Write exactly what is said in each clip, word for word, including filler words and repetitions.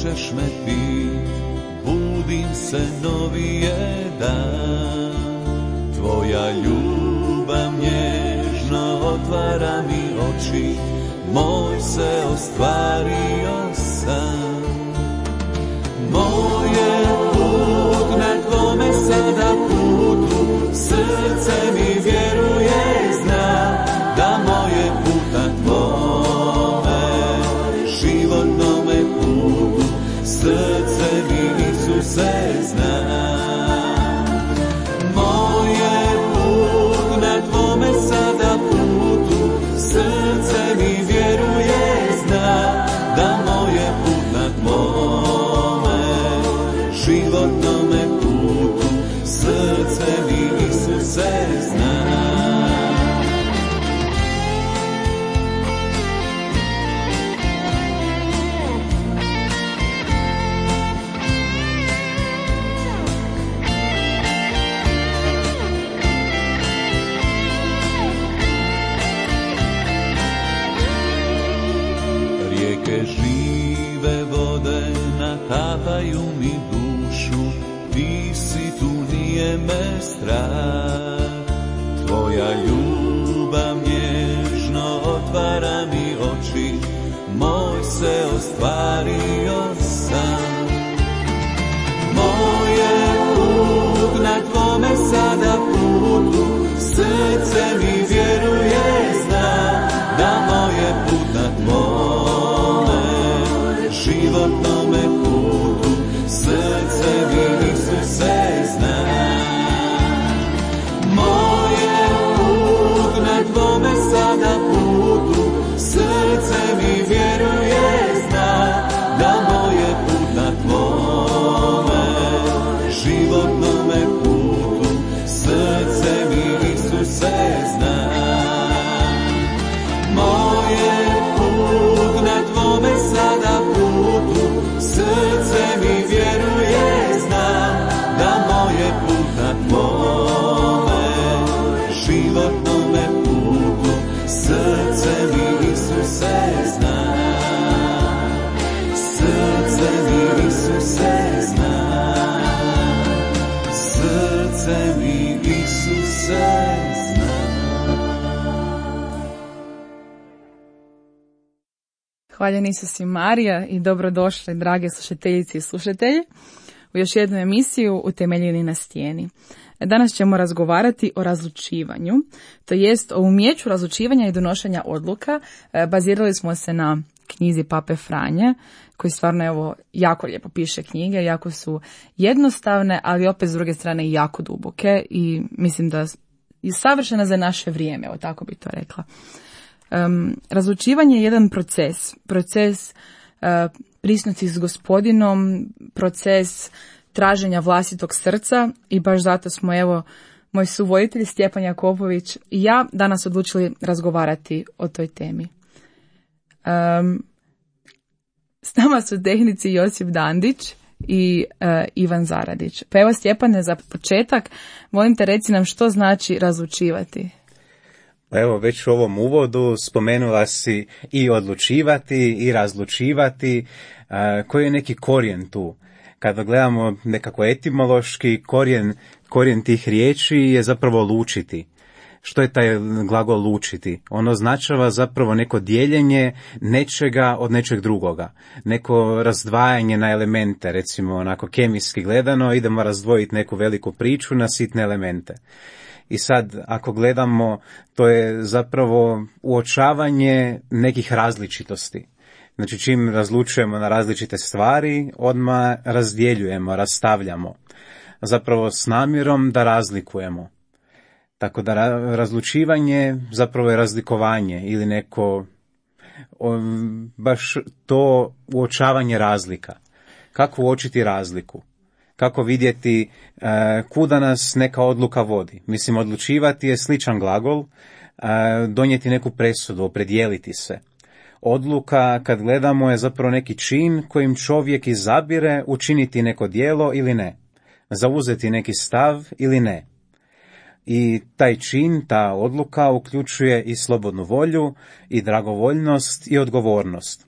ćeš me pit, budim se novi je dan. Tvoja ljubav nježno otvara mi oči, moj se ostvario san. Moj je put na tvome sada putu, srce mi vjeruje, zna da moje put na tvome životnome putu, srce mi Isuse zna. Moj je put na tvome sada putu, srce mi vjeruje, zna da moje put na tvome životnome putu, srce mi Isuse zna. Rijeke žive vode natapaju mi dušu, ti si tu, nije me strah. Tvoja ljubav nježno otvara mi oči, moj se ostvario san. Moj je put na tvome sada putu, srce mi vjeruje, zna da moje put na tvome životnome putu, srce mi Isuse zna. Moj je put na tvome sada putu, srce mi vjeruje, zna da moje put na tvome životnome putu, srce mi Isuse zna. Moj je put na tvome sada putu, srce mi vjeruje, zna da moje put na tvome životnome putu, srce mi Isuse zna. Srce mi Isuse zna. Srce mi Isuse zna. Hvaljen Isus i Marija i dobrodošli, drage slušateljice i slušatelji, u još jednu emisiju Utemeljeni na stijeni. Danas ćemo razgovarati o razlučivanju, to jest o umjeću razlučivanja i donošenja odluka. Bazirali smo se na knjizi Pape Franje, koji stvarno evo jako lijepo piše knjige, jako su jednostavne, ali opet s druge strane jako duboke i mislim da je savršena za naše vrijeme, evo tako bi to rekla. Um, razlučivanje je jedan proces, proces uh, prisnosti s Gospodinom, proces traženja vlastitog srca i baš zato smo evo moj suvoditelj Stjepan Jakopović i ja danas odlučili razgovarati o toj temi. Um, s nama su tehnici Josip Dandić i uh, Ivan Zaradić. Pa evo Stjepane, za početak molim te reci nam što znači razlučivati. Evo, već u ovom uvodu spomenula si i odlučivati i razlučivati, uh, koji je neki korijen tu. Kada gledamo nekako etimološki, korijen, korijen tih riječi je zapravo lučiti. Što je taj glagol lučiti? Ono označava zapravo neko dijeljenje nečega od nečeg drugoga. Neko razdvajanje na elemente, recimo onako kemijski gledano, idemo razdvojiti neku veliku priču na sitne elemente. I sad, ako gledamo, to je zapravo uočavanje nekih različitosti. Znači, čim razlučujemo na različite stvari, odmah razdjeljujemo, rastavljamo. Zapravo s namjerom da razlikujemo. Tako da razlučivanje zapravo je razlikovanje ili neko baš to uočavanje razlika. Kako uočiti razliku? Kako vidjeti uh, kuda nas neka odluka vodi. Mislim, odlučivati je sličan glagol, uh, donijeti neku presudu, opredijeliti se. Odluka, kad gledamo, je zapravo neki čin kojim čovjek izabire učiniti neko djelo ili ne. Zauzeti neki stav ili ne. I taj čin, ta odluka uključuje i slobodnu volju, i dragovoljnost, i odgovornost.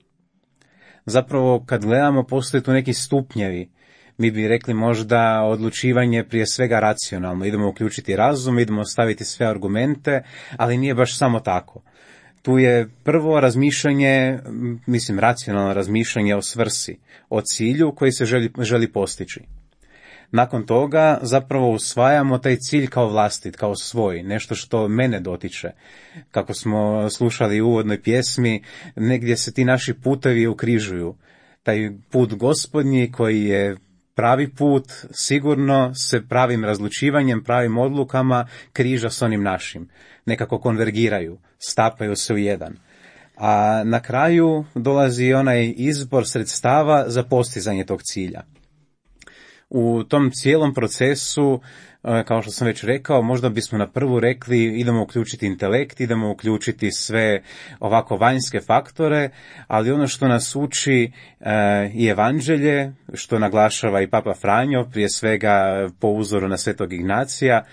Zapravo, kad gledamo, postoje tu neki stupnjevi. Mi bi rekli možda odlučivanje prije svega racionalno. Idemo uključiti razum, idemo staviti sve argumente, ali nije baš samo tako. Tu je prvo razmišljanje, mislim racionalno razmišljanje o svrsi, o cilju koji se želi, želi postići. Nakon toga zapravo usvajamo taj cilj kao vlastit, kao svoj, nešto što mene dotiče. Kako smo slušali u uvodnoj pjesmi, negdje se ti naši putevi ukrižuju. Taj put Gospodnji koji je pravi put, sigurno se pravim razlučivanjem, pravim odlukama križa s onim našim. Nekako konvergiraju, stapaju se u jedan. A na kraju dolazi onaj izbor sredstava za postizanje tog cilja. U tom cijelom procesu, kao što sam već rekao, možda bismo na prvu rekli idemo uključiti intelekt, idemo uključiti sve ovako vanjske faktore, ali ono što nas uči i evanđelje, što naglašava i Papa Franjo, prije svega po uzoru na Svetog Ignacija,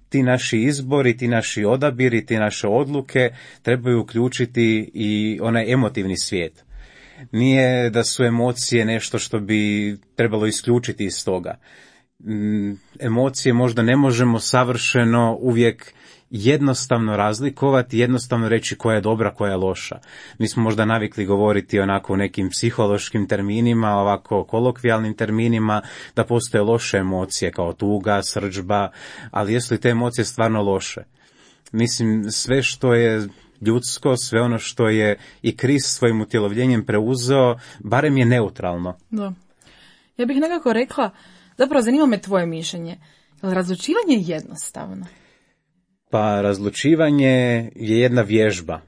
ti naši izbori, ti naši odabiri, ti naše odluke trebaju uključiti i onaj emotivni svijet. Nije da su emocije nešto što bi trebalo isključiti iz toga. Emocije možda ne možemo savršeno uvijek jednostavno razlikovati, jednostavno reći koja je dobra, koja je loša. Mi smo možda navikli govoriti onako u nekim psihološkim terminima, ovako kolokvijalnim terminima, da postoje loše emocije kao tuga, srdžba, ali jesu li te emocije stvarno loše? Mislim, sve što je ljudsko, sve ono što je i Krist svojim utjelovljenjem preuzeo, barem je neutralno. Da. Ja bih nekako rekla, zapravo zanima me tvoje mišljenje, je razlučivanje jednostavno? Pa razlučivanje je jedna vježba.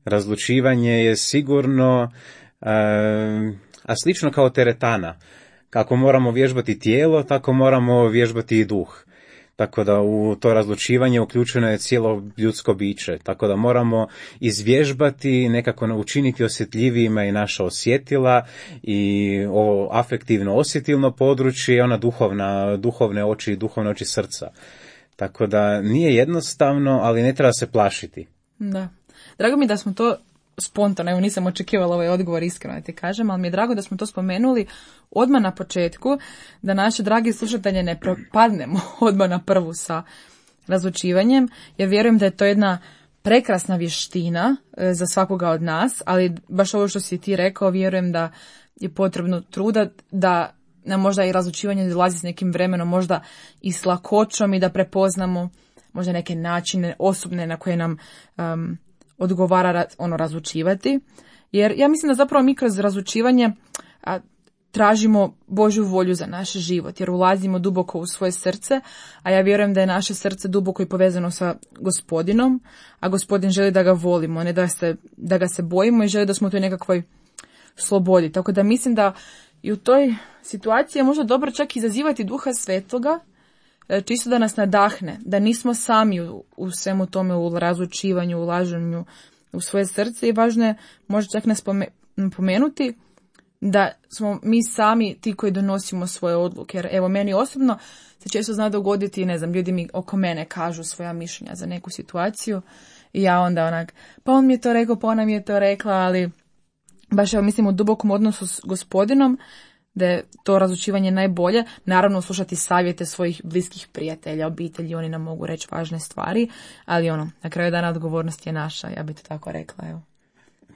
Razlučivanje je sigurno, e, a slično kao teretana. Kako moramo vježbati tijelo, tako moramo vježbati i duh. Tako da u to razlučivanje uključeno je cijelo ljudsko biće. Tako da moramo izvježbati, nekako učiniti osjetljivijima i naša osjetila i ovo afektivno osjetilno područje i ona duhovna, duhovne oči i duhovne oči srca. Tako da nije jednostavno, ali ne treba se plašiti. Da. Drago mi da smo to spontano, evo nisam očekivala ovaj odgovor, iskreno da ti kažem, ali mi je drago da smo to spomenuli odmah na početku, da naše dragi slušatelje ne propadnemo odmah na prvu sa razlučivanjem, jer vjerujem da je to jedna prekrasna vještina za svakoga od nas, ali baš ovo što si ti rekao, vjerujem da je potrebno truda da nam možda i razlučivanje dolazi s nekim vremenom, možda i s lakoćom i da prepoznamo možda neke načine osobne na koje nam um, odgovara ono razlučivati. Jer ja mislim da zapravo mi kroz razlučivanje a, tražimo Božju volju za naš život, jer ulazimo duboko u svoje srce, a ja vjerujem da je naše srce duboko i povezano sa Gospodinom, a Gospodin želi da ga volimo, ne da, se, da ga se bojimo i želi da smo u toj nekakvoj slobodi. Tako da mislim da i u toj situaciji je možda dobro čak izazivati Duha Svetoga, čisto da nas nadahne, da nismo sami u, u svemu tome, u razlučivanju, u ulaženju u svoje srce, i važno je možda čak nas napomenuti da smo mi sami ti koji donosimo svoje odluke. Jer evo, meni osobno se često zna dogoditi, ne znam, ljudi mi oko mene kažu svoja mišljenja za neku situaciju i ja onda onak, pa on mi je to rekao, pa ona mi je to rekla, ali baš evo mislim u dubokom odnosu s Gospodinom, da je to razlučivanje najbolje. Naravno, slušati savjete svojih bliskih prijatelja, obitelji, oni nam mogu reći važne stvari, ali ono, na kraju dana odgovornost je naša, ja bih to tako rekla, evo.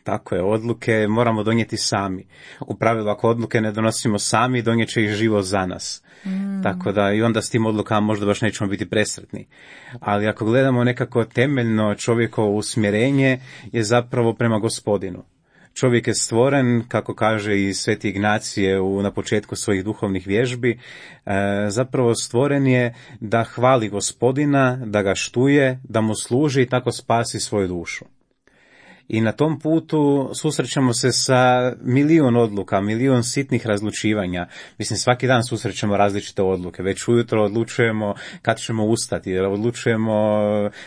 Tako je, odluke moramo donijeti sami. U pravilu, ako odluke ne donosimo sami, donijet će ih život za nas. Mm. Tako da i onda s tim odlukama možda baš nećemo biti presretni. Ali ako gledamo nekako temeljno čovjekovo usmjerenje je zapravo prema Gospodinu. Čovjek je stvoren, kako kaže i Sveti Ignacije u, na početku svojih duhovnih vježbi, e, zapravo stvoren je da hvali Gospodina, da ga štuje, da mu služi i tako spasi svoju dušu. I na tom putu susrećemo se sa milijun odluka, milijun sitnih razlučivanja. Mislim, svaki dan susrećemo različite odluke. Već ujutro odlučujemo kad ćemo ustati, odlučujemo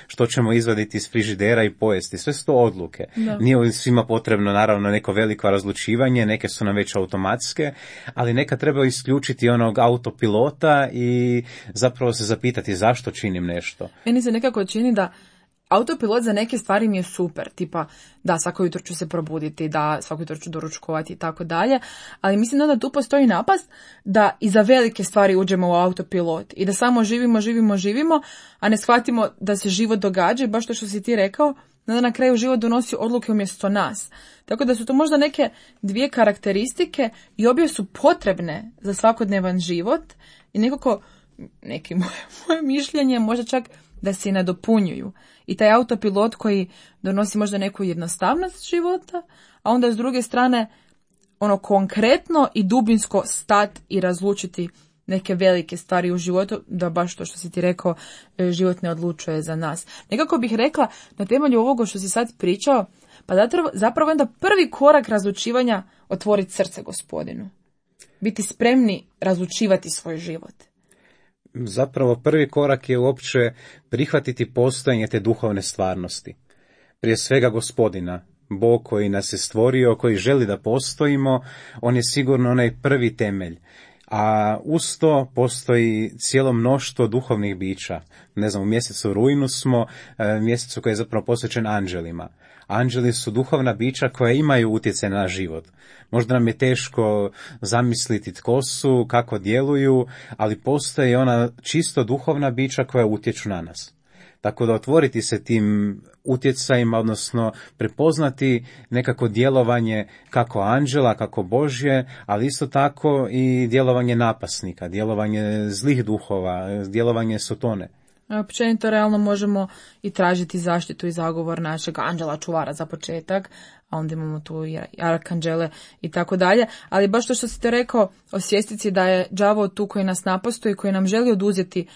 što ćemo izvaditi iz frižidera i pojesti. Sve su to odluke. Da. Nije svima potrebno, naravno, neko veliko razlučivanje, neke su nam već automatske, ali neka treba isključiti onog autopilota i zapravo se zapitati zašto činim nešto. Meni se nekako čini da autopilot za neke stvari mi je super, tipa da svako jutro ću se probuditi, da svako jutro ću doručkovati i tako dalje, ali mislim da tu postoji napast da i za velike stvari uđemo u autopilot i da samo živimo, živimo, živimo, a ne shvatimo da se život događa i baš to što si ti rekao, da na kraju život donosi odluke umjesto nas. Tako da su to možda neke dvije karakteristike i obje su potrebne za svakodnevan život i nekako, neki moje, moje mišljenje, možda čak da se nadopunjuju. I taj autopilot koji donosi možda neku jednostavnost života, a onda s druge strane ono konkretno i dubinsko stat i razlučiti neke velike stvari u životu, da baš to što si ti rekao, život ne odlučuje za nas. Nekako bih rekla, na temelju ovoga što si sad pričao, pa zapravo onda prvi korak razlučivanja otvoriti srce Gospodinu. Biti spremni razlučivati svoj život. Zapravo prvi korak je uopće prihvatiti postojanje te duhovne stvarnosti. Prije svega Gospodina, Bog koji nas je stvorio, koji želi da postojimo, on je sigurno onaj prvi temelj. A uz to postoji cijelo mnoštvo duhovnih bića. Ne znam, u mjesecu rujnu smo, mjesecu koji je zapravo posvećen anđelima. Anđeli su duhovna bića koja imaju utjecaj na život. Možda nam je teško zamisliti tko su, kako djeluju, ali postoji ona čisto duhovna bića koja utječu na nas. Tako da otvoriti se tim utjecajima, odnosno prepoznati nekako djelovanje kako anđela, kako Božje, ali isto tako i djelovanje napasnika, djelovanje zlih duhova, djelovanje Sotone. Općenito realno možemo i tražiti zaštitu i zagovor našeg anđela čuvara za početak, a onda imamo tu i arkanđele i tako dalje. Ali baš to što si te rekao, osvijestiti da je đavo tu koji nas napastuje i koji nam želi oduzeti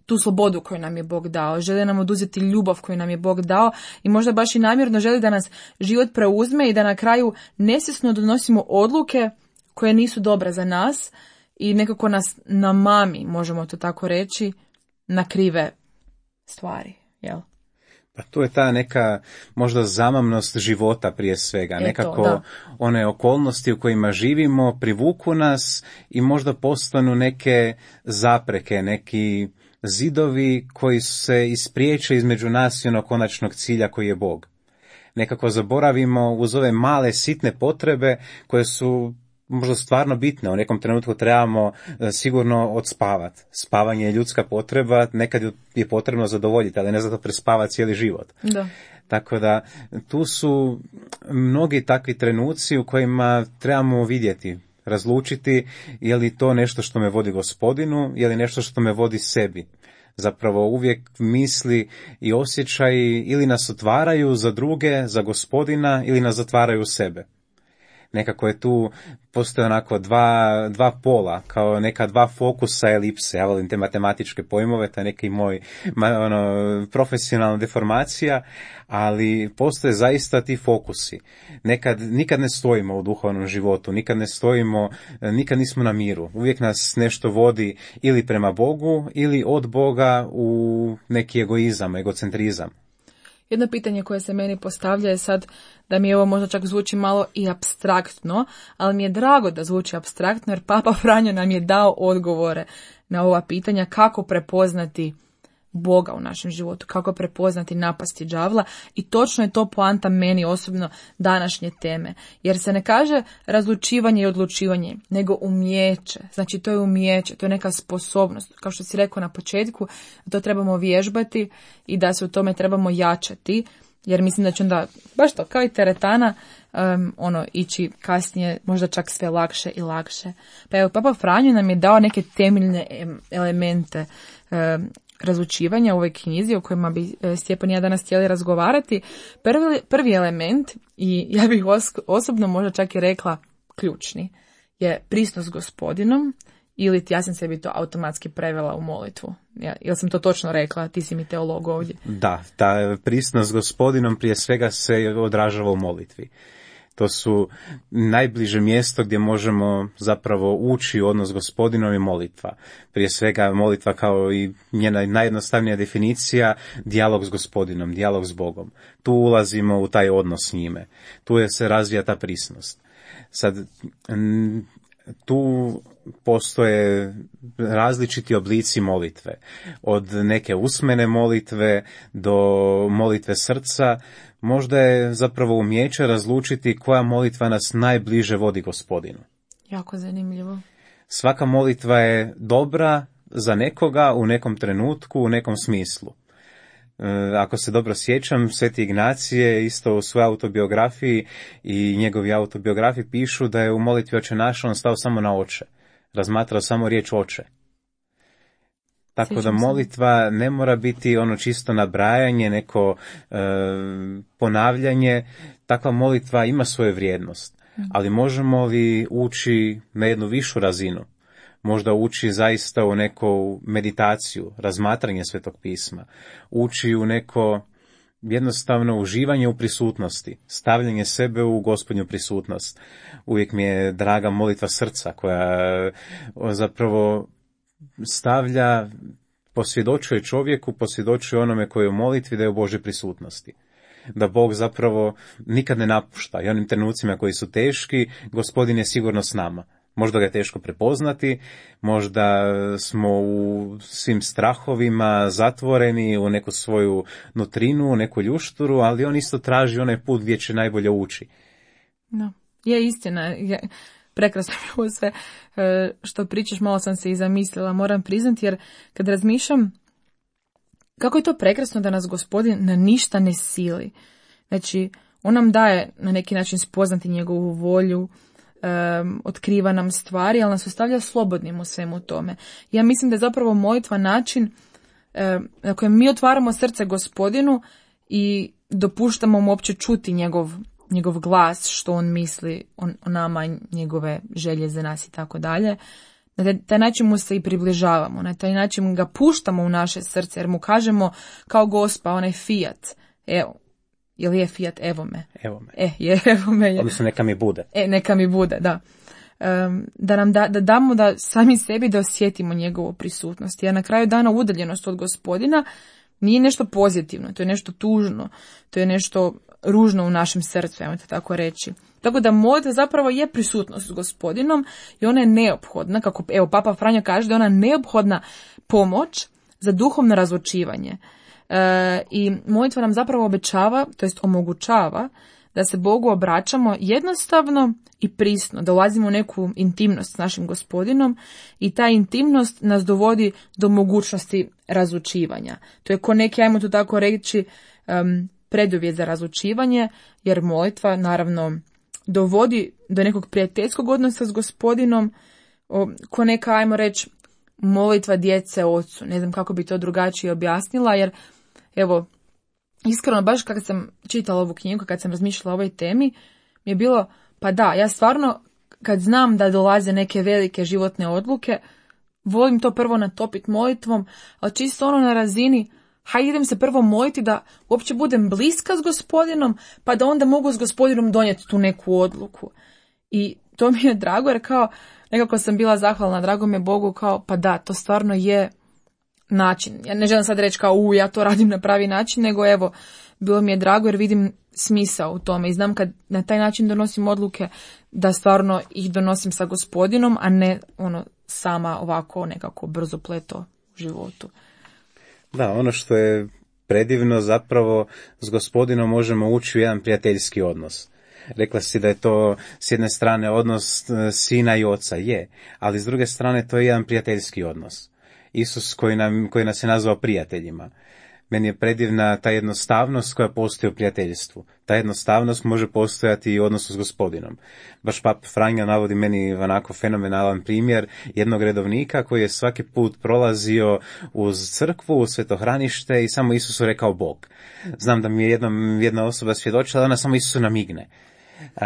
tu slobodu koju nam je Bog dao, želi nam oduzeti ljubav koju nam je Bog dao i možda baš i namjerno želi da nas život preuzme i da na kraju nesvjesno donosimo odluke koje nisu dobre za nas i nekako nas namami, možemo to tako reći, na krive stvari, jel? Pa tu je ta neka možda zamamnost života prije svega, Eto, nekako da. One okolnosti u kojima živimo privuku nas i možda postanu neke zapreke, neki zidovi koji se ispriječe između nas i onog konačnog cilja koji je Bog. Nekako zaboravimo uz ove male sitne potrebe koje su možda stvarno bitne. U nekom trenutku trebamo sigurno odspavati. Spavanje je ljudska potreba, nekad je potrebno zadovoljiti, ali ne zato prespavati cijeli život. Da. Tako da tu su mnogi takvi trenuci u kojima trebamo vidjeti, razlučiti je li to nešto što me vodi Gospodinu, je li nešto što me vodi sebi. Zapravo uvijek misli i osjećaji ili nas otvaraju za druge, za Gospodina, ili nas zatvaraju u sebe. Nekako je tu, postoje onako dva, dva pola, kao neka dva fokusa elipse. Ja volim te matematičke pojmove, to je neki moj ono, profesionalna deformacija, ali postoje zaista ti fokusi. Nekad, nikad ne stojimo u duhovnom životu, nikad ne stojimo, nikad nismo na miru. Uvijek nas nešto vodi ili prema Bogu, ili od Boga u neki egoizam, egocentrizam. Jedno pitanje koje se meni postavlja je sad da mi ovo možda čak zvuči malo i apstraktno, ali mi je drago da zvuči apstraktno jer Papa Franjo nam je dao odgovore na ova pitanja kako prepoznati Boga u našem životu, kako prepoznati napasti đavla i točno je to poanta meni osobno današnje teme. Jer se ne kaže razlučivanje i odlučivanje, nego umijeće. Znači to je umijeće, to je neka sposobnost. Kao što si rekao na početku, to trebamo vježbati i da se u tome trebamo jačati. Jer mislim da će onda, baš to, kao i teretana, um, ono, ići kasnije možda čak sve lakše i lakše. Pa evo, Papa Franjo nam je dao neke temeljne elemente um, razlučivanja u ovoj knjizi o kojima bi Stjepan i ja danas htjeli razgovarati. Prvi, prvi element, i ja bih os- osobno možda čak i rekla ključni, je prisnost s Gospodinom, ili ja sam sebi to automatski prevela u molitvu. Ja, jel sam to točno rekla? Ti si mi teolog ovdje. Da, ta prisnost s Gospodinom prije svega se odražava u molitvi. To su najbliže mjesto gdje možemo zapravo ući u odnos s Gospodinom i molitva. Prije svega molitva kao i njena najjednostavnija definicija, dijalog s Gospodinom, dijalog s Bogom. Tu ulazimo u taj odnos s njime. Tu je se razvija ta prisnost. Sad, tu postoje različiti oblici molitve. Od neke usmene molitve do molitve srca. Možda je zapravo umijeće razlučiti koja molitva nas najbliže vodi Gospodinu. Jako zanimljivo. Svaka molitva je dobra za nekoga u nekom trenutku, u nekom smislu. E, ako se dobro sjećam, Sveti Ignacije isto u svojoj autobiografiji i njegovi autobiografi pišu da je u molitvi Oče naš on stao samo na oče. Razmatrao samo riječ oče. Tako Sjećam da se. molitva ne mora biti ono čisto nabrajanje, neko e, ponavljanje. Takva molitva ima svoju vrijednost. Ali možemo li ući na jednu višu razinu? Možda ući zaista u neku meditaciju, razmatranje Svetog pisma, ući u neko jednostavno uživanje u prisutnosti, stavljanje sebe u Gospodnju prisutnost. Uvijek mi je draga molitva srca koja zapravo stavlja, posvjedočuje čovjeku, posvjedočuje onome koji je u molitvi da je u Božoj prisutnosti. Da Bog zapravo nikad ne napušta i onim trenucima koji su teški, Gospodin je sigurno s nama. Možda ga je teško prepoznati, možda smo u svim strahovima zatvoreni u neku svoju nutrinu, u neku ljušturu, ali on isto traži onaj put gdje će najbolje ući. No, je istina. Je, prekrasno je ovo sve e, što pričaš, malo sam se i zamislila, moram priznati, jer kad razmišljam kako je to prekrasno da nas Gospodin na ništa ne sili. Znači, on nam daje na neki način spoznati njegovu volju, Um, otkriva nam stvari, ali nas ostavlja slobodnim u svemu tome. Ja mislim da je zapravo molitva način um, na kojem mi otvaramo srce Gospodinu i dopuštamo mu uopće čuti njegov, njegov glas, što on misli o, o nama, njegove želje za nas i tako dalje. Na taj, taj način mu se i približavamo, na taj način ga puštamo u naše srce, jer mu kažemo kao Gospa, onaj Fiat, evo, ili je Fiat, evo me. Evo me. E, je, evo me je. Odnosno neka mi bude. E, neka mi bude, da. Um, da nam da, da damo da sami sebi da osjetimo njegovu prisutnost. Jer na kraju dana udaljenost od Gospodina nije nešto pozitivno, to je nešto tužno, to je nešto ružno u našem srcu, ajmo to tako reći. Tako da molitva zapravo je prisutnost s Gospodinom i ona je neophodna, kako evo Papa Franjo kaže da je ona neophodna pomoć za duhovno razlučivanje. E, I molitva nam zapravo obećava, to jest omogućava da se Bogu obraćamo jednostavno i prisno, da ulazimo u neku intimnost s našim Gospodinom i ta intimnost nas dovodi do mogućnosti razlučivanja. To je ko neki, ajmo to tako reći, um, preduvjet za razlučivanje, jer molitva naravno dovodi do nekog prijateljskog odnosa s Gospodinom, o, ko neka, ajmo reći, molitva djece ocu. Ne znam kako bi to drugačije objasnila, jer evo, iskreno, baš kad sam čitala ovu knjigu, kad sam razmišljala o ovoj temi, mi je bilo, pa da, ja stvarno, kad znam da dolaze neke velike životne odluke, volim to prvo natopiti molitvom, ali čisto ono na razini, hajde idem se prvo moliti da uopće budem bliska s Gospodinom, pa da onda mogu s Gospodinom donijeti tu neku odluku. I to mi je drago, jer kao, nekako sam bila zahvalna, drago mi je Bogu, kao, pa da, to stvarno je način. Ja ne želim sad reći kao, u, ja to radim na pravi način, nego evo, bilo mi je drago jer vidim smisao u tome i znam kad na taj način donosim odluke da stvarno ih donosim sa Gospodinom, a ne ono sama ovako nekako brzo pleto u životu. Da, ono što je predivno zapravo s Gospodinom možemo ući u jedan prijateljski odnos. Rekla si da je to s jedne strane odnos sina i oca, je, ali s druge strane to je jedan prijateljski odnos. Isus koji, nam, koji nas je nazvao prijateljima. Meni je predivna ta jednostavnost koja postoji u prijateljstvu. Ta jednostavnost može postojati i u odnosu s Gospodinom. Baš Papa Franjo navodi meni onako fenomenalan primjer jednog redovnika koji je svaki put prolazio uz crkvu, u svetohranište i samo Isusu rekao Bog. Znam da mi je jednom jedna osoba svjedočila, ona samo Isusu namigne. Uh,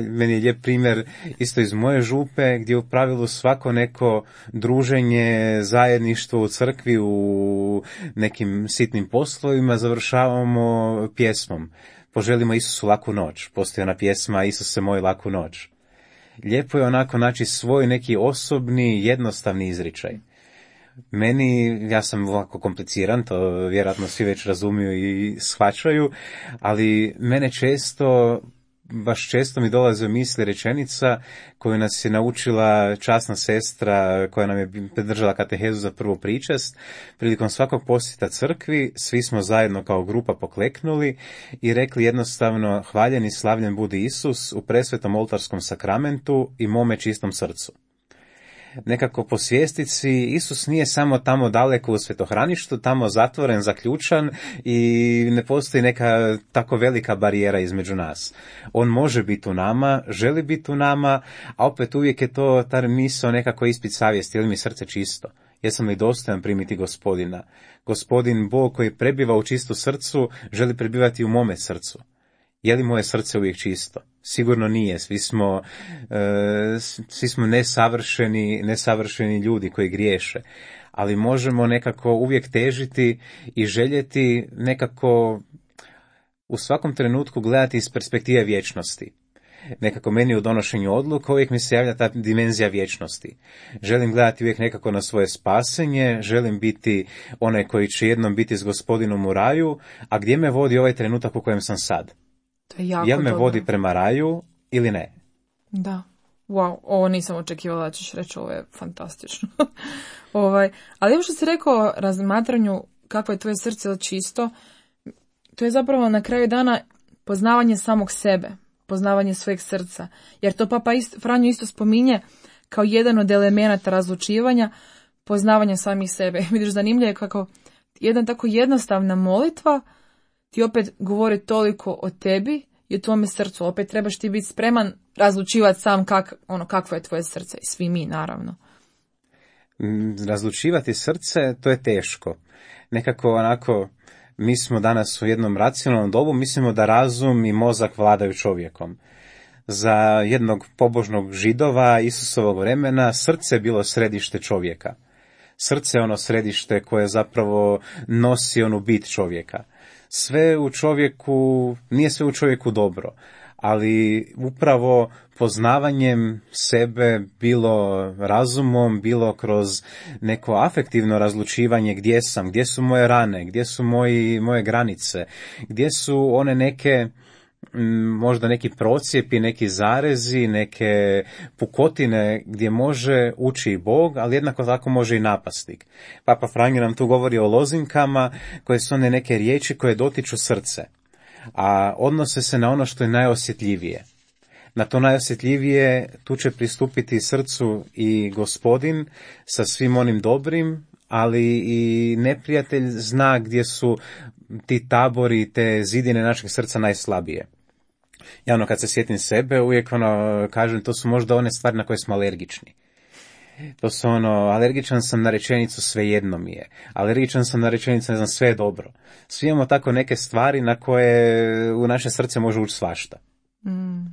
meni je lijep primjer isto iz moje župe gdje u pravilu svako neko druženje, zajedništvo u crkvi, u nekim sitnim poslovima završavamo pjesmom. Poželimo Isusu laku noć. Postoji ona pjesma Isuse moj laku noć. Lijepo je onako naći svoj neki osobni, jednostavni izričaj. Meni, ja sam ovako kompliciran, to vjerojatno svi već razumiju i shvaćaju, ali mene često baš često mi dolazi u misli rečenica koju nas je naučila časna sestra koja nam je držala katehezu za prvu pričast. Prilikom svakog posjeta crkvi svi smo zajedno kao grupa pokleknuli i rekli jednostavno: hvaljen i slavljen budi Isus u presvetom oltarskom sakramentu i mome čistom srcu. Nekako po svjestici Isus nije samo tamo daleko u svetohraništu, tamo zatvoren, zaključan i ne postoji neka tako velika barijera između nas. On može biti u nama, želi biti u nama, a opet uvijek je to ta misao nekako ispit savjesti, je li mi srce čisto? Jesam li dostojan primiti Gospodina? Gospodin Bog koji prebiva u čistu srcu želi prebivati u mome srcu. Je li moje srce uvijek čisto? Sigurno nije. Svi smo, e, svi smo nesavršeni, nesavršeni ljudi koji griješe. Ali možemo nekako uvijek težiti i željeti nekako u svakom trenutku gledati iz perspektive vječnosti. Nekako meni u donošenju odluka uvijek mi se javlja ta dimenzija vječnosti. Želim gledati uvijek nekako na svoje spasenje, želim biti onaj koji će jednom biti s Gospodinom u raju, a gdje me vodi ovaj trenutak u kojem sam sad? To je jako Jel me dobro. vodi prema raju ili ne? Da. Wow, ovo nisam očekivala da ćeš reći, ovo je fantastično. ovaj, ali ovo što si rekao o razmatranju kako je tvoje srce čisto, to je zapravo na kraju dana poznavanje samog sebe, poznavanje svojeg srca. Jer to Papa isto, Franjo isto spominje kao jedan od elemenata razlučivanja, poznavanja samih sebe. Vidiš, zanimljivo je kako jedna tako jednostavna molitva ti opet govori toliko o tebi i o tvome srcu. Opet trebaš ti biti spreman razlučivati sam kak, ono, kakvo je tvoje srce. I svi mi, naravno. Razlučivati srce, to je teško. Nekako onako, mi smo danas u jednom racionalnom dobu, mislimo da razum i mozak vladaju čovjekom. Za jednog pobožnog Židova Isusovog vremena srce je bilo središte čovjeka. Srce je ono središte koje zapravo nosi onu bit čovjeka. Sve u čovjeku, nije sve u čovjeku dobro, ali upravo poznavanjem sebe, bilo razumom, bilo kroz neko afektivno razlučivanje gdje sam, gdje su moje rane, gdje su moji, moje granice, gdje su one neke, možda neki procijepi, neki zarezi, neke pukotine gdje može ući i Bog, ali jednako tako može i napasnik. Papa Franjo nam tu govori o lozinkama koje su one neke riječi koje dotiču srce, a odnose se na ono što je najosjetljivije. Na to najosjetljivije tu će pristupiti srcu i Gospodin sa svim onim dobrim, ali i neprijatelj zna gdje su ti tabori, te zidine našeg srca najslabije. Ja ono kad se sjetim sebe uvijek ono kažem to su možda one stvari na koje smo alergični. To su ono, alergičan sam na rečenicu svejedno mi je. Alergičan sam na rečenicu ne znam sve je dobro. Svi imamo tako neke stvari na koje u naše srce može ući svašta. Mm.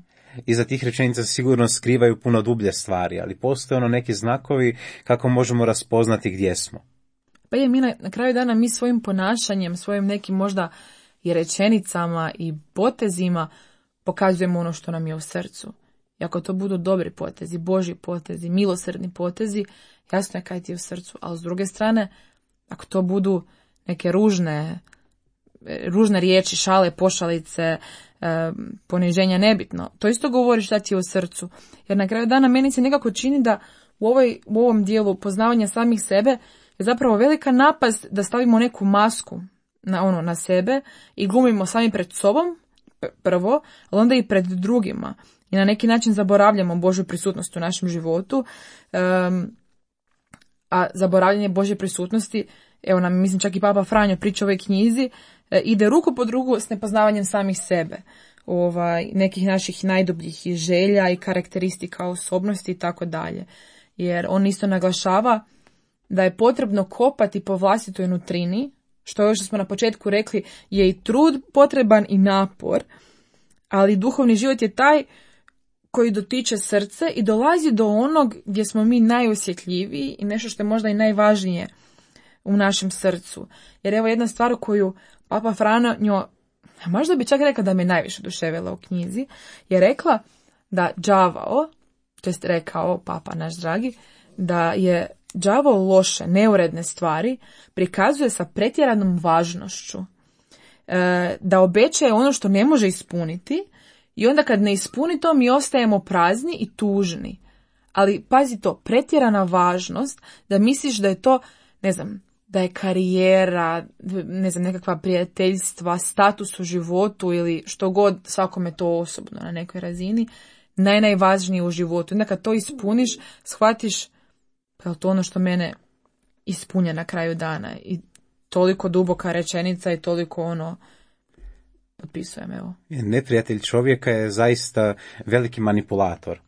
Iza tih rečenica sigurno skrivaju puno dublje stvari, ali postoje ono neki znakovi kako možemo raspoznati gdje smo. Pa je mi na, na kraju dana mi svojim ponašanjem, svojim nekim možda i rečenicama i potezima pokazujemo ono što nam je u srcu. I ako to budu dobri potezi, Božji potezi, milosrdni potezi, jasno je kaj ti je u srcu. Ali s druge strane, ako to budu neke ružne, ružne riječi, šale, pošalice, e, poniženja, nebitno, to isto govori šta ti je u srcu. Jer na kraju dana meni se nekako čini da u, ovoj, u ovom dijelu poznavanja samih sebe je zapravo velika napast da stavimo neku masku na, ono, na sebe i glumimo sami pred sobom, prvo, ali onda i pred drugima. I na neki način zaboravljamo Božju prisutnost u našem životu, um, a zaboravljanje Božje prisutnosti, evo nam, mislim, čak i Papa Franjo priča o ovoj knjizi, e, ide ruku pod ruku s nepoznavanjem samih sebe, ovaj, nekih naših najdubljih i želja i karakteristika osobnosti i tako dalje. Jer on isto naglašava da je potrebno kopati po vlastitoj nutrini, što još smo na početku rekli, je i trud potreban i napor, ali duhovni život je taj koji dotiče srce i dolazi do onog gdje smo mi najosjetljiviji i nešto što je možda i najvažnije u našem srcu. Jer evo jedna stvar koju Papa Franjo, možda bi čak rekla da me najviše oduševila u knjizi, je rekla da đavao, to jest rekao Papa naš dragi, da je đavao loše, neuredne stvari prikazuje sa pretjeranom važnošću, e, da obećaje ono što ne može ispuniti I onda kad ne ispuni to, mi ostajemo prazni i tužni. Ali pazi to, pretjerana važnost da misliš da je to, ne znam, da je karijera, ne znam, nekakva prijateljstva, status u životu ili što god, svakome to osobno na nekoj razini, naj, najvažnije u životu. Onda kad to ispuniš, shvatiš pa je to ono što mene ispunja na kraju dana. I toliko duboka rečenica i toliko ono, potpisujem, evo. Neprijatelj čovjeka je zaista veliki manipulator.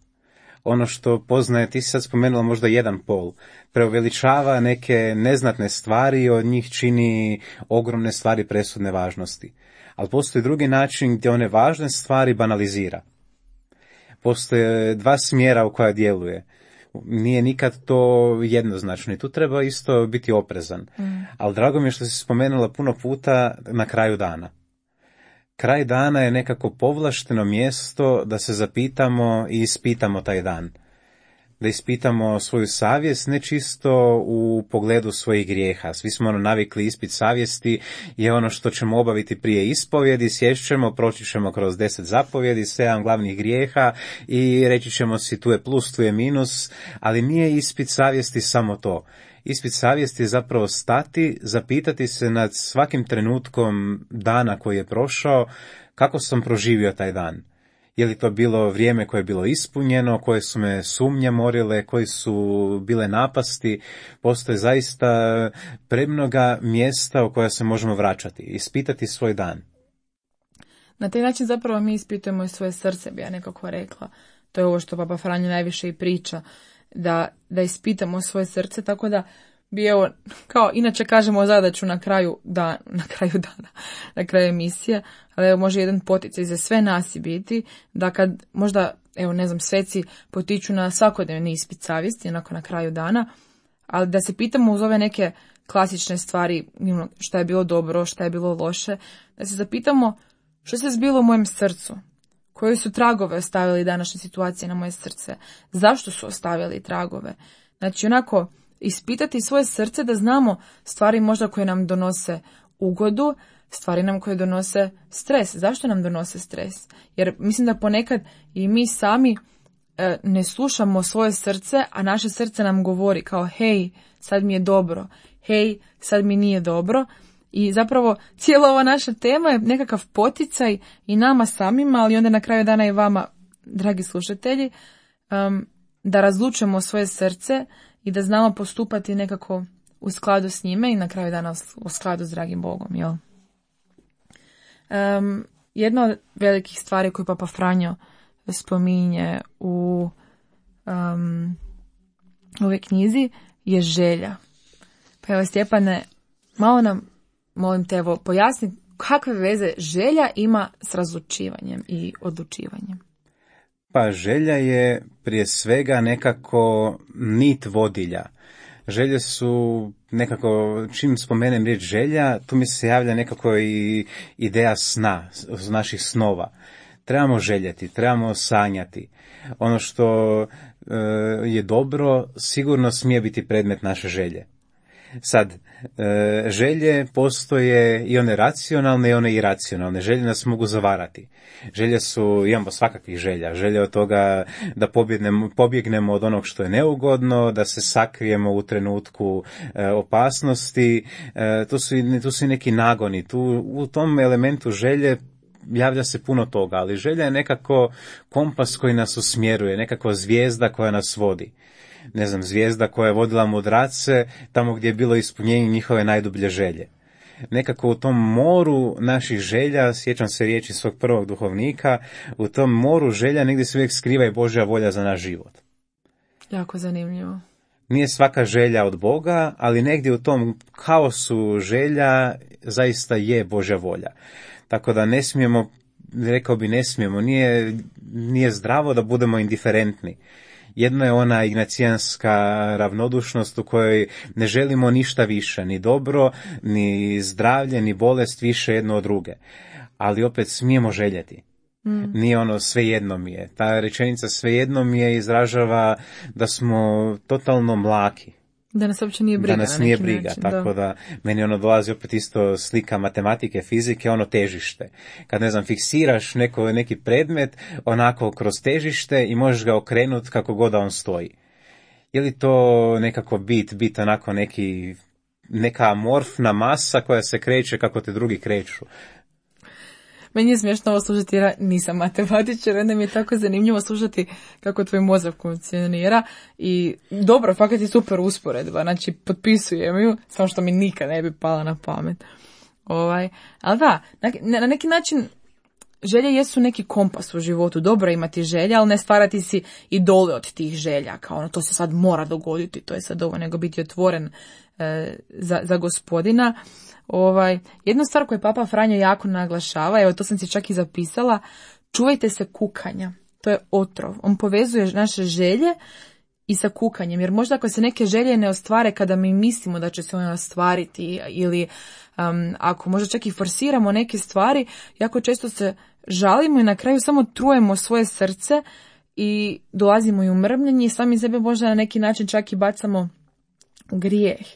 Ono što poznaje, ti si sad spomenula možda jedan pol, preuveličava neke neznatne stvari i od njih čini ogromne stvari presudne važnosti. Ali postoji drugi način gdje one važne stvari banalizira. Postoje dva smjera u koja djeluje. Nije nikad to jednoznačno i tu treba isto biti oprezan. Mm. Ali drago mi je što si spomenula puno puta na kraju dana. Kraj dana je nekako povlašteno mjesto da se zapitamo i ispitamo taj dan. Da ispitamo svoju savjest, ne čisto u pogledu svojih grijeha. Svi smo ono navikli, ispit savjesti je ono što ćemo obaviti prije ispovjedi, sješćemo, proći ćemo kroz deset zapovjedi, sedam glavnih grijeha i reći ćemo si tu je plus, tu je minus, ali nije ispit savjesti samo to. Ispit savjesti je zapravo stati, zapitati se nad svakim trenutkom dana koji je prošao, kako sam proživio taj dan. Je li to bilo vrijeme koje je bilo ispunjeno, koje su me sumnje morile, koji su bile napasti. Postoje zaista premnoga mjesta u koja se možemo vraćati, ispitati svoj dan. Na taj način zapravo mi ispitujemo i svoje srce, bi ja nekako rekla. To je ovo što Papa Franjo najviše i priča. Da, da ispitamo svoje srce, tako da bi evo, kao inače kažemo zadaću na kraju, da, na kraju dana, na kraju emisije, ali evo može jedan poticaj za sve nas i biti, da kad možda, evo ne znam, sveci potiču na svakodnevni ispit savjesti, onako na kraju dana, ali da se pitamo uz ove neke klasične stvari, šta je bilo dobro, šta je bilo loše, da se zapitamo što se zbilo u mojem srcu. Koji su tragove ostavili današnje situacije na moje srce? Zašto su ostavili tragove? Znači, onako, ispitati svoje srce da znamo stvari možda koje nam donose ugodu, stvari nam koje donose stres. Zašto nam donose stres? Jer mislim da ponekad i mi sami e, ne slušamo svoje srce, a naše srce nam govori kao hej, sad mi je dobro, hej, sad mi nije dobro. I zapravo cijela ova naša tema je nekakav poticaj i nama samima, ali onda na kraju dana i vama, dragi slušatelji, um, da razlučimo svoje srce i da znamo postupati nekako u skladu s njime i na kraju dana u skladu s dragim Bogom. Jel? Um, jedna od velikih stvari koju Papa Franjo spominje u um, ovoj knjizi je želja. Pa evo, Stjepane, malo nam molim te, evo, pojasni kakve veze želja ima s razlučivanjem i odlučivanjem. Pa želja je prije svega nekako nit vodilja. Želje su nekako, čim spomenem riječ želja, tu mi se javlja nekako i ideja sna, naših snova. Trebamo željeti, trebamo sanjati. Ono što e, je dobro, sigurno smije biti predmet naše želje. Sad, e, želje postoje i one racionalne i one iracionalne. Želje nas mogu zavarati. Želje su, imamo svakakvih želja. Želje od toga da pobjegnemo, pobjegnemo od onog što je neugodno, da se sakrijemo u trenutku e, opasnosti. E, tu su, tu su i neki nagoni. Tu, u tom elementu želje javlja se puno toga, ali želja je nekako kompas koji nas usmjeruje, nekako zvijezda koja nas vodi. Ne znam, zvijezda koja je vodila mudrace tamo gdje je bilo ispunjenje njihove najdublje želje. Nekako u tom moru naših želja, sjećam se riječi svog prvog duhovnika, u tom moru želja negdje se uvijek skriva i Božja volja za naš život. Jako zanimljivo. Nije svaka želja od Boga, ali negdje u tom kaosu želja zaista je Božja volja. Tako da ne smijemo, rekao bi ne smijemo, nije, nije zdravo da budemo indiferentni. Jedno je ona ignacijanska ravnodušnost u kojoj ne želimo ništa više, ni dobro, ni zdravlje, ni bolest više jedno od druge. Ali opet smijemo željeti. Mm. Nije ono svejedno mi je. Ta rečenica svejedno mi je izražava da smo totalno mlaki. Da nas uopće nije briga. Da nas na nije neki briga, način, tako da. da meni ono dolazi opet isto slika matematike, fizike, ono težište. Kad, ne znam, fiksiraš neko, neki predmet onako kroz težište i možeš ga okrenuti kako god da on stoji. Je li to nekako bit, bit onako neki, neka amorfna masa koja se kreće kako te drugi kreću? Meni je smiješno ovo slušati jer nisam matematičar, onda mi je tako zanimljivo slušati kako tvoj mozak funkcionira i dobro, fakat je super usporedba, znači potpisujem ju, samo što mi nikad ne bi pala na pamet. Ovaj, ali da, na, na neki način želje jesu neki kompas u životu, dobro imati želje, ali ne stvarati si idole od tih želja, kao ono to se sad mora dogoditi, to je sad ovo, nego biti otvoren e, za, za Gospodina. Ovaj, jedna stvar koju Papa Franjo jako naglašava, evo to sam si čak i zapisala, čuvajte se kukanja, to je otrov, on povezuje naše želje i sa kukanjem, jer možda ako se neke želje ne ostvare kada mi mislimo da će se one ostvariti ili um, ako možda čak i forsiramo neke stvari, jako često se žalimo i na kraju samo trujemo svoje srce i dolazimo i u mrmljenje i sami sebe možda na neki način čak i bacamo u grijeh.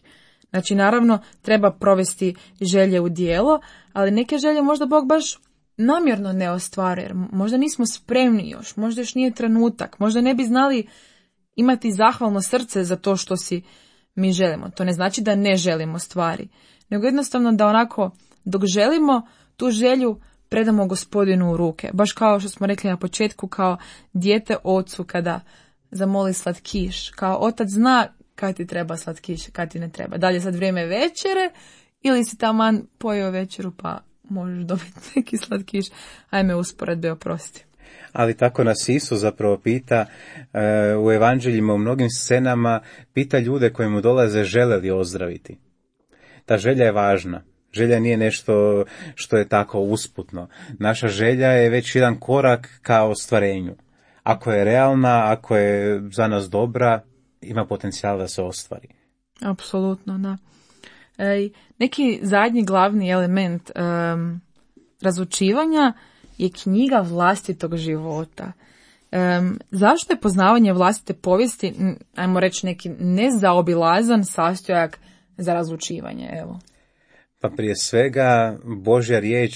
Znači, naravno, treba provesti želje u djelo, ali neke želje možda Bog baš namjerno ne ostvaruje, jer možda nismo spremni još, možda još nije trenutak, možda ne bi znali imati zahvalno srce za to što si mi želimo. To ne znači da ne želimo stvari, nego jednostavno da onako, dok želimo, tu želju predamo Gospodinu u ruke. Baš kao što smo rekli na početku, kao dijete ocu kada zamoli slatkiš, kao otac zna kad ti treba slatkiš, kad ti ne treba. Da li je sad vrijeme večere ili si taman pojeo večeru pa možeš dobiti neki slatkiš. Ajme usporedbe, oprosti. Ali tako nas Isus zapravo pita e, u evanđeljima, u mnogim scenama, pita ljude koji mu dolaze žele li ozdraviti. Ta želja je važna. Želja nije nešto što je tako usputno. Naša želja je već jedan korak ka ostvarenju. Ako je realna, ako je za nas dobra, ima potencijal da se ostvari. Apsolutno, da. E, neki zadnji glavni element um, razlučivanja je knjiga vlastitog života. Um, zašto je poznavanje vlastite povijesti, ajmo reći neki nezaobilazan sastojak za razlučivanje? Evo. Pa prije svega Božja riječ,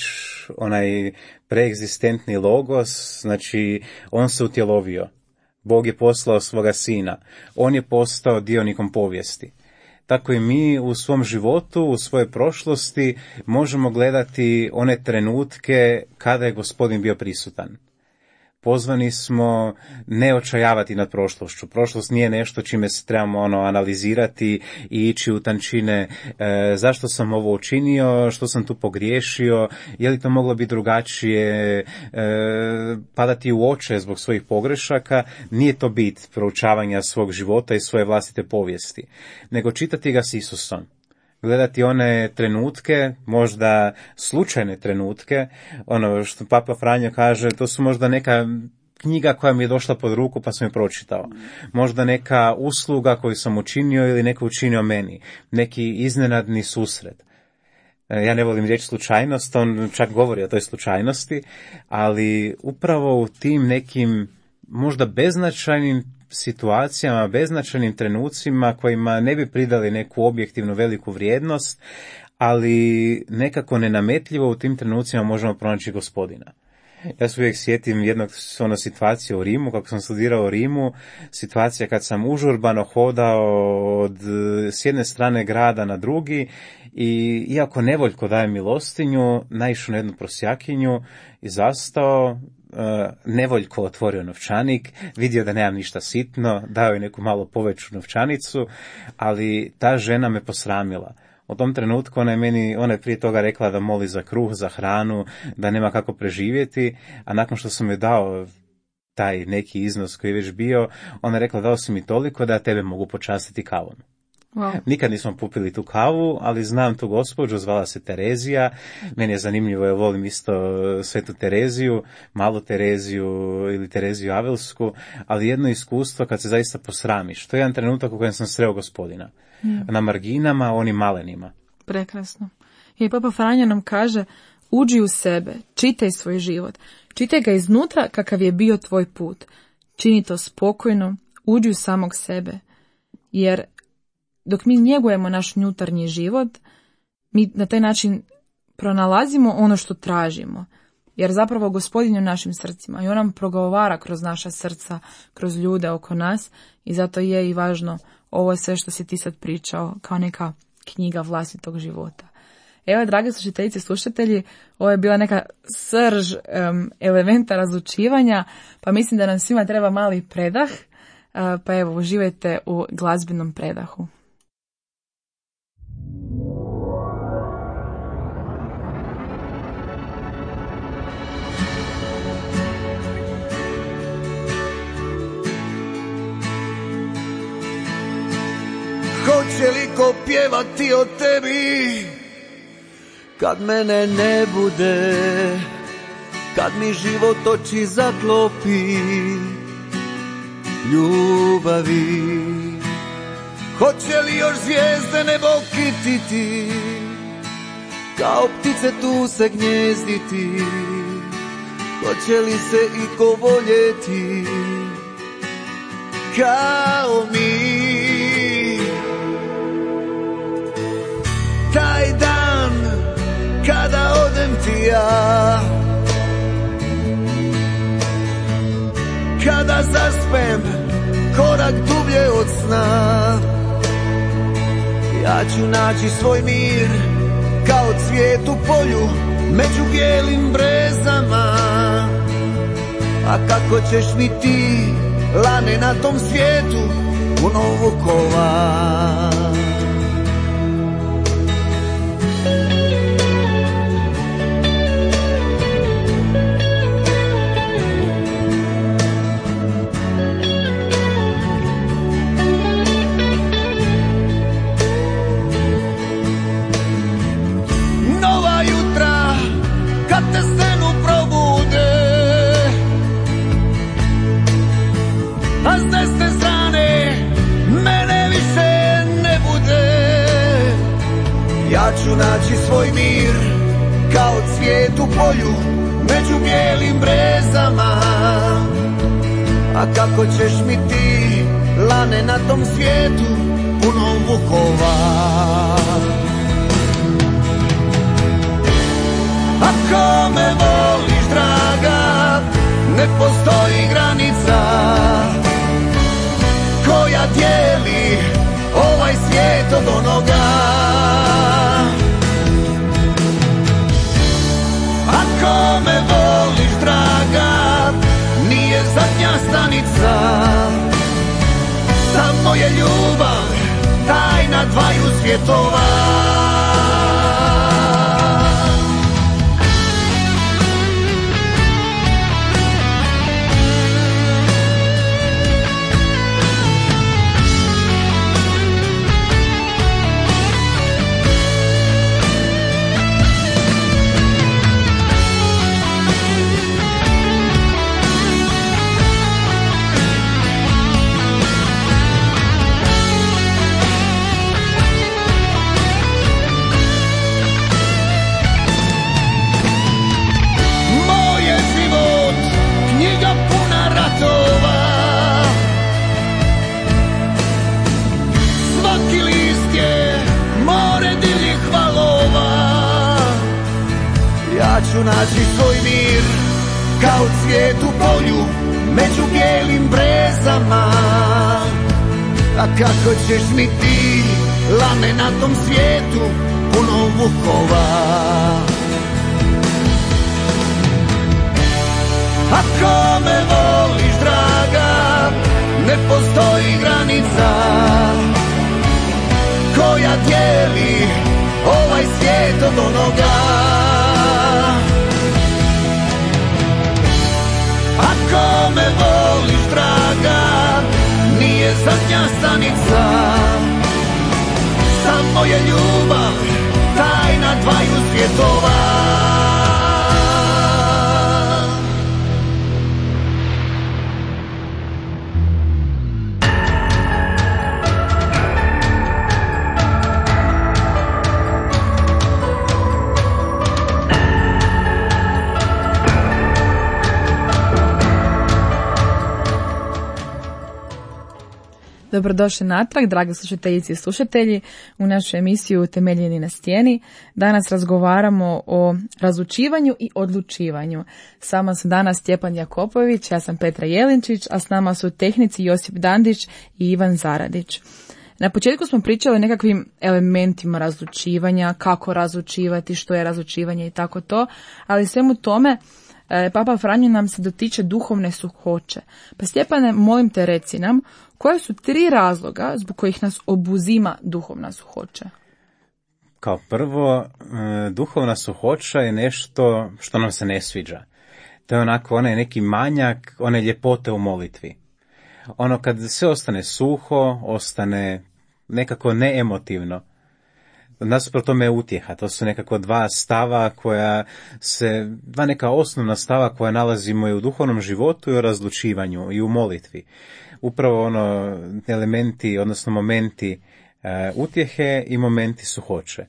onaj preegzistentni logos, znači on se utjelovio. Bog je poslao svoga sina. On je postao dionikom povijesti. Tako i mi u svom životu, u svojoj prošlosti možemo gledati one trenutke kada je Gospodin bio prisutan. Pozvani smo ne očajavati nad prošlošću. Prošlost nije nešto čime se trebamo ono analizirati i ići u tančine e, zašto sam ovo učinio, što sam tu pogriješio, je li to moglo biti drugačije, e, padati u oče zbog svojih pogrešaka. Nije to bit proučavanja svog života i svoje vlastite povijesti, nego čitati ga s Isusom. Gledati one trenutke, možda slučajne trenutke, ono što Papa Franjo kaže, to su možda neka knjiga koja mi je došla pod ruku pa sam je pročitao. Možda neka usluga koju sam učinio ili neko učinio meni. Neki iznenadni susret. Ja ne volim riječ slučajnost, on čak govori o toj slučajnosti, ali upravo u tim nekim možda beznačajnim situacijama, beznačajnim trenucima kojima ne bi pridali neku objektivnu veliku vrijednost, ali nekako nenametljivo u tim trenucima možemo pronaći Gospodina. Ja se uvijek sjetim jednog ono situacije u Rimu, kako sam studirao u Rimu, situacija kad sam užurbano hodao od s jedne strane grada na drugi i iako nevoljko daje milostinju, naišao na jednu prosjakinju i zastao, Uh, nevoljko otvorio novčanik, vidio da nemam ništa sitno, dao je neku malo poveću novčanicu, ali ta žena me posramila. U tom trenutku ona je meni, ona je prije toga rekla da moli za kruh, za hranu, da nema kako preživjeti, a nakon što sam joj dao taj neki iznos koji je već bio, ona je rekla dao si mi toliko da ja tebe mogu počastiti kavom. Wow. Nikad nismo popili tu kavu, ali znam tu gospođu, zvala se Terezija. Meni je zanimljivo, ja volim isto Svetu Tereziju, Malu Tereziju ili Tereziju Avelsku, ali jedno iskustvo kad se zaista posramiš. To je jedan trenutak u kojem sam sreo Gospodina. Mm. Na marginama, onim malenima. Prekrasno. I Papa Franjo nam kaže, uđi u sebe, čitaj svoj život. Čitaj ga iznutra kakav je bio tvoj put. Čini to spokojno, uđi u samog sebe. Jer dok mi njegujemo naš unutarnji život, mi na taj način pronalazimo ono što tražimo. Jer zapravo Gospodin je u našim srcima i on nam progovara kroz naša srca, kroz ljude oko nas i zato je i važno ovo sve što si ti sad pričao kao neka knjiga vlastitog života. Evo, drage slušateljice i slušatelji, ovo je bila neka srž um, elementa razlučivanja, pa mislim da nam svima treba mali predah, uh, pa evo, uživajte u glazbenom predahu. Hoće li ko pjevati o tebi kad mene ne bude, kad mi život oči zaklopi ljubavi? Hoće li još zvijezde nebo kititi, kao ptice tu se gnjezditi? Hoće li se iko voljeti kao mi? Taj dan kada odem ti ja, kada zaspem korak dublje od sna, ja ću naći svoj mir kao cvijet u polju među bijelim brezama. A kako ćeš mi ti, lane, na tom svijetu puno vukova? Ja ću naći svoj mir kao cvijet u polju među bijelim brezama. A kako ćeš mi ti, lane, na tom svijetu puno vukova? Ako me voliš, draga, ne postoji granica koja dijeli ovaj svijet od onoga. Ako me voliš, draga, nije zadnja stanica, samo je ljubav tajna dvaju svjetova. Ja ću naći svoj mir kao cvijet u polju među bijelim brezama. A kako ćeš mi ti, lane, na tom svijetu puno vukova? Ako me voliš, draga, ne postoji granica koja dijeli ovaj svijet od onoga. Ako me voliš, draga, nije zadnja stanica, samo je ljubav tajna dvaju svjetova. Dobrodošli natrag, dragi slušateljice i slušatelji, u našu emisiju Temeljeni na stijeni. Danas razgovaramo o razlučivanju i odlučivanju. S vama su danas Stjepan Jakopović, ja sam Petra Jelinčić, a s nama su tehnici Josip Dandić i Ivan Zaradić. Na početku smo pričali o nekakvim elementima razlučivanja, kako razlučivati, što je razlučivanje i tako to, ali svemu tome Papa Franjo nam se dotiče duhovne suhoće. Pa Stjepane, molim te, reci nam, koje su tri razloga zbog kojih nas obuzima duhovna suhoća? Kao prvo, duhovna suhoća je nešto što nam se ne sviđa. To je onako onaj neki manjak, one ljepote u molitvi. Ono kad sve ostane suho, ostane nekako neemotivno. Nasuprot tome je utjeha, to su nekako dva stava koja se, dva neka osnovna stava koja nalazimo i u duhovnom životu i u razlučivanju i u molitvi. Upravo ono elementi, odnosno momenti e, utjehe i momenti suhoće.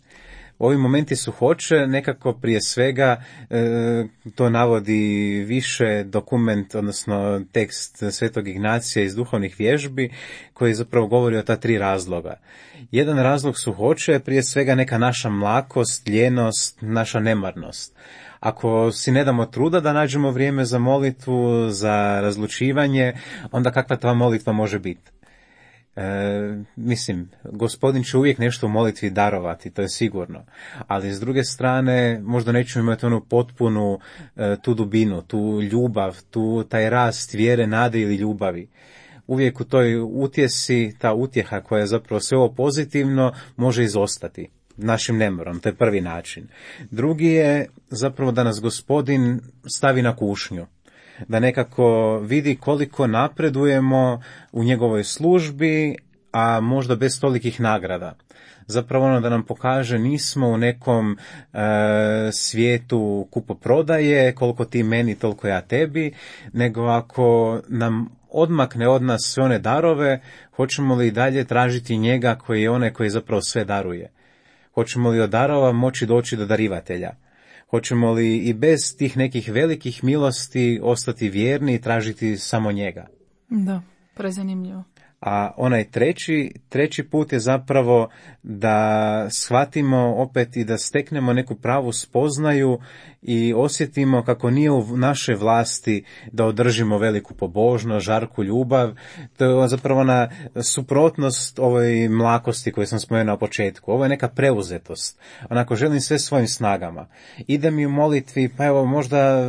Ovi momenti suhoće nekako prije svega e, to navodi više dokument, odnosno tekst Svetog Ignacija iz duhovnih vježbi koji zapravo govori o ta tri razloga. Jedan razlog suhoće je prije svega neka naša mlakost, ljenost, naša nemarnost. Ako si ne damo truda da nađemo vrijeme za molitvu, za razlučivanje, onda kakva ta molitva može biti? E, mislim, Gospodin će uvijek nešto u molitvi darovati, to je sigurno, ali s druge strane možda nećemo imati onu potpunu e, tu dubinu, tu ljubav, tu taj rast vjere, nade ili ljubavi. Uvijek u toj utjesi, ta utjeha koja je zapravo sve ovo pozitivno, može izostati našim nemorom, to je prvi način. Drugi je zapravo da nas Gospodin stavi na kušnju, da nekako vidi koliko napredujemo u njegovoj službi, a možda bez tolikih nagrada. Zapravo ono da nam pokaže nismo u nekom e, svijetu kupoprodaje, koliko ti meni, toliko ja tebi, nego ako nam odmakne od nas sve one darove, hoćemo li i dalje tražiti njega koji je onaj koji zapravo sve daruje? Hoćemo li od darova moći doći do darivatelja? Hoćemo li i bez tih nekih velikih milosti ostati vjerni i tražiti samo njega? Da, prezanimljivo. A onaj treći, treći put je zapravo da shvatimo opet i da steknemo neku pravu spoznaju i osjetimo kako nije u našoj vlasti da održimo veliku pobožnost, žarku ljubav. To je zapravo ona suprotnost ovoj mlakosti koju sam spomenuo na početku. Ovo je neka preuzetost. Onako želim sve svojim snagama. Ide mi u molitvi, pa evo možda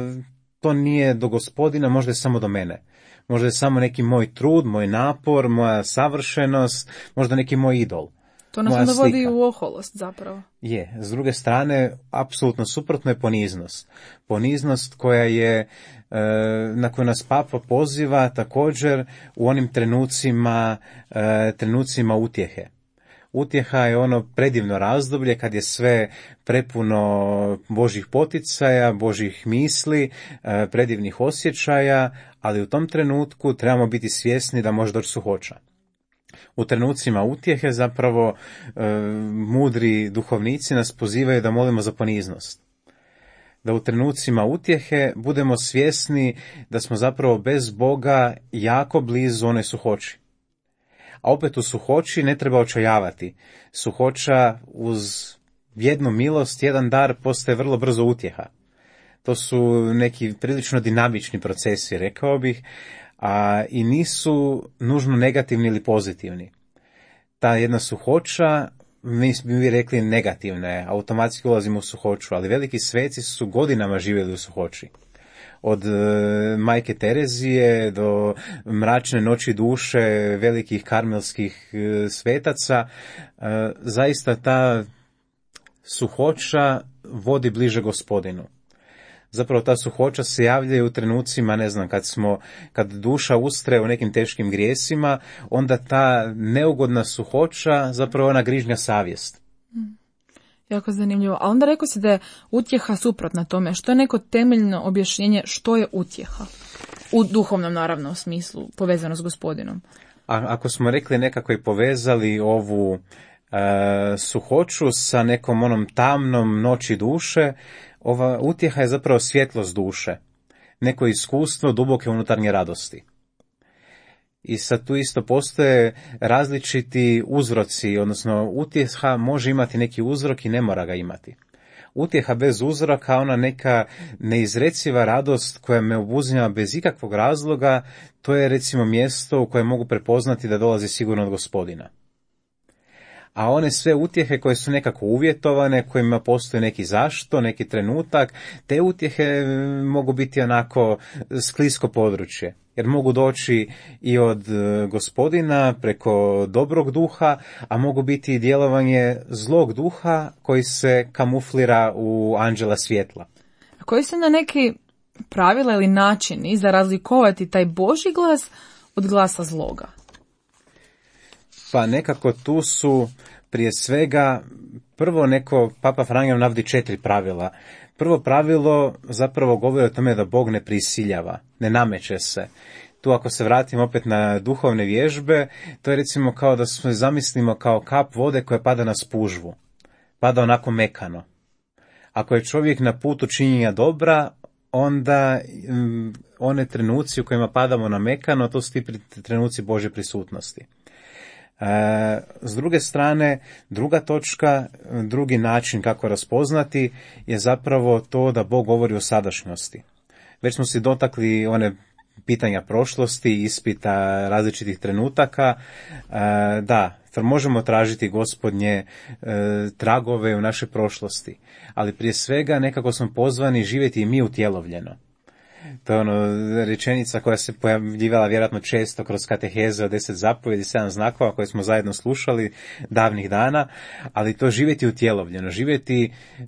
to nije do Gospodina, možda je samo do mene. Možda je samo neki moj trud, moj napor, moja savršenost, možda neki moj idol. To nas onda vodi u oholost zapravo. Je, s druge strane, apsolutno suprotno je poniznost. Poniznost koja je, na koju nas Papa poziva također u onim trenucima, trenucima utjehe. Utjeha je ono predivno razdoblje kad je sve prepuno Božjih poticaja, Božjih misli, predivnih osjećaja, ali u tom trenutku trebamo biti svjesni da može doći suhoća. U trenucima utjehe zapravo mudri duhovnici nas pozivaju da molimo za poniznost. Da u trenucima utjehe budemo svjesni da smo zapravo bez Boga jako blizu onoj suhoći. A opet u suhoći ne treba očajavati. Suhoća uz jednu milost, jedan dar postaje vrlo brzo utjeha. To su neki prilično dinamični procesi, rekao bih, a i nisu nužno negativni ili pozitivni. Ta jedna suhoća, mi bi rekli negativna je, automatski ulazimo u suhoću, ali veliki sveci su godinama živjeli u suhoći. Od majke Terezije do mračne noći duše velikih karmelskih svetaca, zaista ta suhoća vodi bliže Gospodinu. Zapravo ta suhoća se javlja u trenucima, ne znam, kad smo, kad duša ustre u nekim teškim grijesima, onda ta neugodna suhoća zapravo ona grižnja savjest. Mm. Jako zanimljivo. A onda rekao si da je utjeha suprotna tome. Što je neko temeljno objašnjenje što je utjeha? U duhovnom, naravno, smislu, povezano s Gospodinom. A ako smo rekli nekako i povezali ovu e, suhoću sa nekom onom tamnom noći duše, ova utjeha je zapravo svjetlost duše, neko iskustvo duboke unutarnje radosti. I sad tu isto postoje različiti uzroci, odnosno utjeha može imati neki uzrok i ne mora ga imati. Utjeha bez uzroka, ona neka neizreciva radost koja me obuzima bez ikakvog razloga, to je recimo mjesto u kojem mogu prepoznati da dolazi sigurno od Gospodina. A one sve utjehe koje su nekako uvjetovane, kojima postoji neki zašto, neki trenutak, te utjehe mogu biti onako sklisko područje. Jer mogu doći i od Gospodina preko dobrog duha, a mogu biti i djelovanje zlog duha koji se kamuflira u anđela svjetla. A koji su na neki pravila ili načini za razlikovati taj Božji glas od glasa zloga? Pa nekako tu su prije svega, prvo neko, Papa Franjo navodi četiri pravila. Prvo pravilo zapravo govori o tome da Bog ne prisiljava, ne nameće se. Tu ako se vratimo opet na duhovne vježbe, to je recimo kao da se zamislimo kao kap vode koja pada na spužvu. Pada onako mekano. Ako je čovjek na putu činjenja dobra, onda um, one trenuci u kojima padamo na mekano, to su ti trenuci Božje prisutnosti. E, s druge strane, druga točka, drugi način kako raspoznati je zapravo to da Bog govori o sadašnjosti. Već smo si dotakli one pitanja prošlosti, ispita različitih trenutaka. E, da, možemo tražiti Gospodnje e, tragove u našoj prošlosti, ali prije svega nekako smo pozvani živjeti i mi utjelovljeno. To je ono rečenica koja se pojavljivala vjerojatno često kroz kateheze od deset zapovjedi, sedam znakova koje smo zajedno slušali davnih dana, ali to živjeti utjelovljeno, živjeti, e,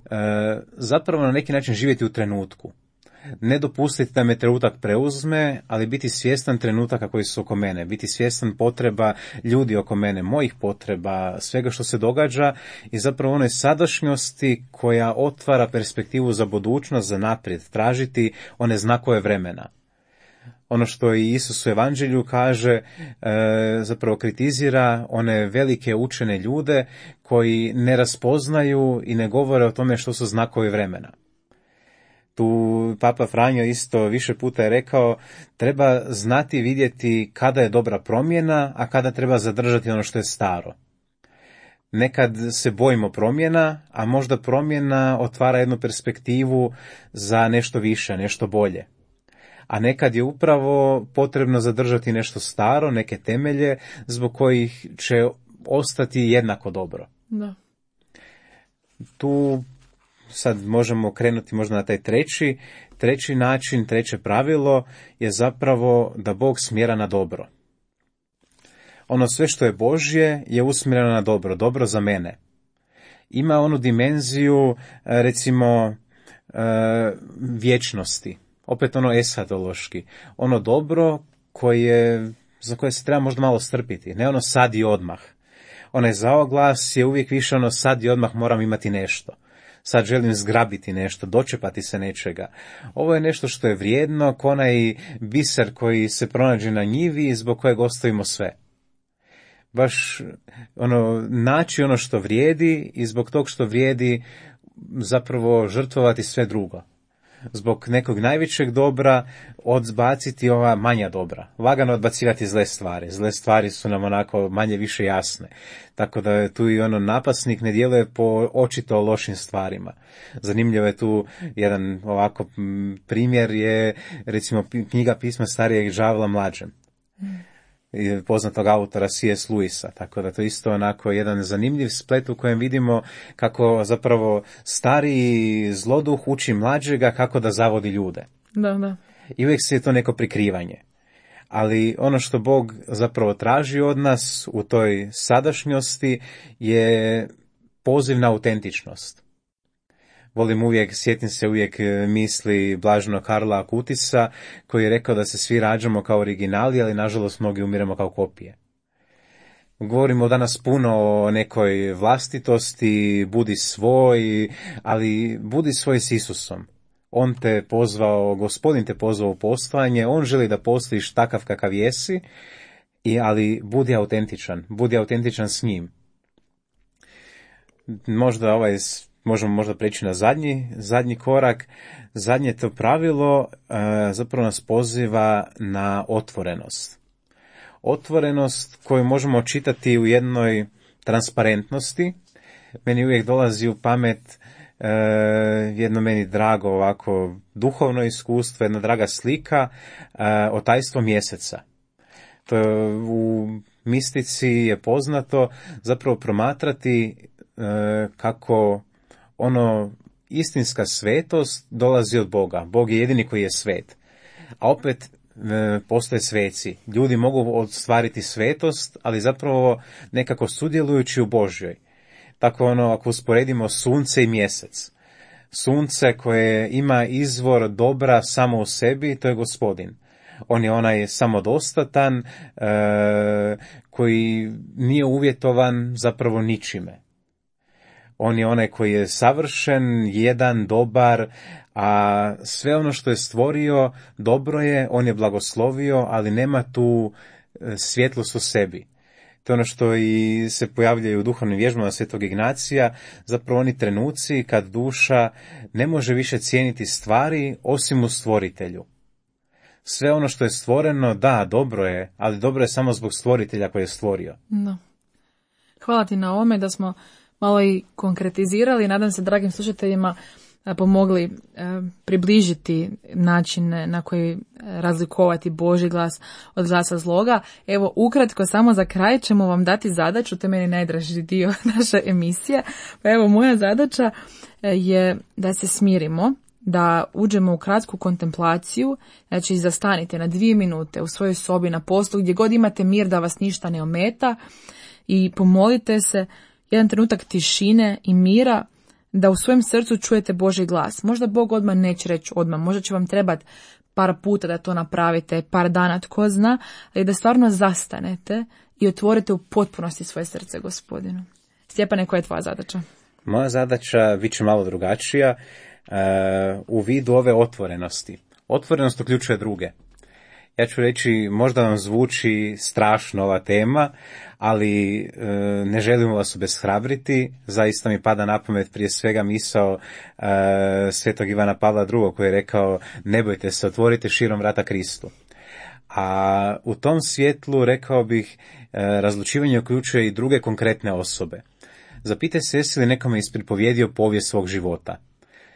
zapravo na neki način živjeti u trenutku. Ne dopustiti da me trenutak preuzme, ali biti svjestan trenutaka koji su oko mene, biti svjestan potreba ljudi oko mene, mojih potreba, svega što se događa i zapravo onoj sadašnjosti koja otvara perspektivu za budućnost, za naprijed, tražiti one znakove vremena. Ono što i Isus u Evanđelju kaže, e, zapravo kritizira one velike učene ljude koji ne raspoznaju i ne govore o tome što su znakovi vremena. Tu Papa Franjo isto više puta je rekao, treba znati vidjeti kada je dobra promjena, a kada treba zadržati ono što je staro. Nekad se bojimo promjena, a možda promjena otvara jednu perspektivu za nešto više, nešto bolje. A nekad je upravo potrebno zadržati nešto staro, neke temelje, zbog kojih će ostati jednako dobro. Da. Tu sad možemo krenuti možda na taj treći, treći način, treće pravilo je zapravo da Bog smjera na dobro. Ono sve što je Božje je usmjereno na dobro, dobro za mene. Ima onu dimenziju, recimo, vječnosti, opet ono eshatološki, ono dobro koje, za koje se treba možda malo strpiti, ne ono sad i odmah. Onaj zaoglas je uvijek više ono sad i odmah moram imati nešto. Sad želim zgrabiti nešto, dočepati se nečega. Ovo je nešto što je vrijedno, ko onaj biser koji se pronađe na njivi i zbog kojeg ostavimo sve. Baš ono, naći ono što vrijedi i zbog tog što vrijedi zapravo žrtvovati sve drugo. Zbog nekog najvećeg dobra odbaciti ova manja dobra. Lagano odbacivati zle stvari. Zle stvari su nam onako manje više jasne. Tako da je tu i ono napasnik ne djeluje po očito lošim stvarima. Zanimljivo je tu jedan ovako primjer je recimo knjiga Pisma starijeg đavla mlađem. Poznatog autora C S. Lewisa, tako da to isto onako jedan zanimljiv splet u kojem vidimo kako zapravo stariji zloduh uči mlađega kako da zavodi ljude. Da, da. I uvijek se je to neko prikrivanje. Ali ono što Bog zapravo traži od nas u toj sadašnjosti je poziv na autentičnost. Volim uvijek, sjetim se uvijek misli blaženog Karla Akutisa, koji je rekao da se svi rađamo kao originali, ali nažalost mnogi umiremo kao kopije. Govorimo danas puno o nekoj vlastitosti, budi svoj, ali budi svoj s Isusom. On te pozvao, Gospodin te pozvao u postojanje, on želi da postojiš takav kakav jesi, i, ali budi autentičan, budi autentičan s njim. Možda ovaj možemo možda preći na zadnji, zadnji korak. Zadnje to pravilo e, zapravo nas poziva na otvorenost. otvorenost koju možemo čitati u jednoj transparentnosti. Meni uvijek dolazi u pamet e, jedno meni drago ovako duhovno iskustvo, jedna draga slika, e, otajstvo mjeseca. To je, u mistici je poznato zapravo promatrati e, kako ono istinska svetost dolazi od Boga. Bog je jedini koji je svet. A opet e, postoje sveci. Ljudi mogu ostvariti svetost, ali zapravo nekako sudjelujući u Božjoj. Tako ono, ako usporedimo sunce i mjesec. Sunce koje ima izvor dobra samo u sebi, to je Gospodin. On je onaj samodostatan, e, koji nije uvjetovan zapravo ničime. On je onaj koji je savršen, jedan, dobar, a sve ono što je stvorio dobro je, on je blagoslovio, ali nema tu svjetlost u sebi. To je ono što i se pojavljaju u duhovnim vježbama Svetog Ignacija, zapravo oni trenuci kad duša ne može više cijeniti stvari osim u stvoritelju. Sve ono što je stvoreno, da, dobro je, ali dobro je samo zbog stvoritelja koji je stvorio. No. Hvala ti na ovome da smo malo i konkretizirali. Nadam se, dragim slušateljima, pomogli e, približiti načine na koji razlikovati Božji glas od glasa zloga. Evo, ukratko, samo za kraj ćemo vam dati zadaću, to je meni najdraži dio naše emisije. Pa evo, moja zadaća je da se smirimo, da uđemo u kratku kontemplaciju, znači zastanite na dvije minute u svojoj sobi, na poslu, gdje god imate mir da vas ništa ne ometa, i pomolite se jedan trenutak tišine i mira, da u svojem srcu čujete Božji glas. Možda Bog odmah neće reći odmah, možda će vam trebati par puta da to napravite, par dana, tko zna, ali da stvarno zastanete i otvorite u potpunosti svoje srce Gospodinu. Stjepane, koja je tvoja zadaća? Moja zadaća bit će malo drugačija, uh, u vidu ove otvorenosti. Otvorenost uključuje druge. Ja ću reći, možda vam zvuči strašno ova tema, ali e, ne želimo vas obeshrabriti. Zaista mi pada na pamet prije svega misao e, svetog Ivana Pavla drugog koji je rekao: ne bojte se, otvorite širom vrata Kristu. A u tom svjetlu rekao bih, e, razlučivanje uključuje i druge konkretne osobe. Zapitaj se, jesi li nekome ispripovjedio povijest svog života.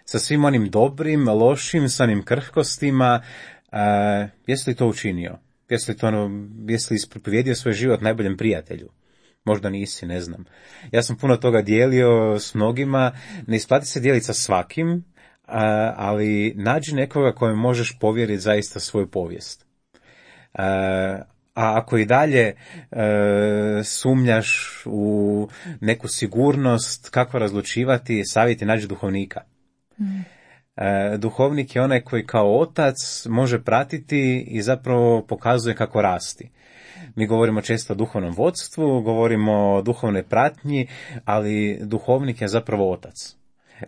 Sa svim onim dobrim, lošim, sa onim krhkostima. Uh, jesi li to učinio? Jesi li, to ono, jesi li ispripovjedio svoj život najboljem prijatelju? Možda nisi, ne znam. Ja sam puno toga dijelio s mnogima, ne isplati se dijeliti sa svakim, uh, ali nađi nekoga kojem možeš povjeriti zaista svoju povijest. Uh, a ako i dalje uh, sumnjaš u neku sigurnost kako razlučivati, savjeti, nađi duhovnika. Mm. Duhovnik je onaj koji kao otac može pratiti i zapravo pokazuje kako rasti. Mi govorimo često o duhovnom vodstvu, govorimo o duhovnoj pratnji, ali duhovnik je zapravo otac.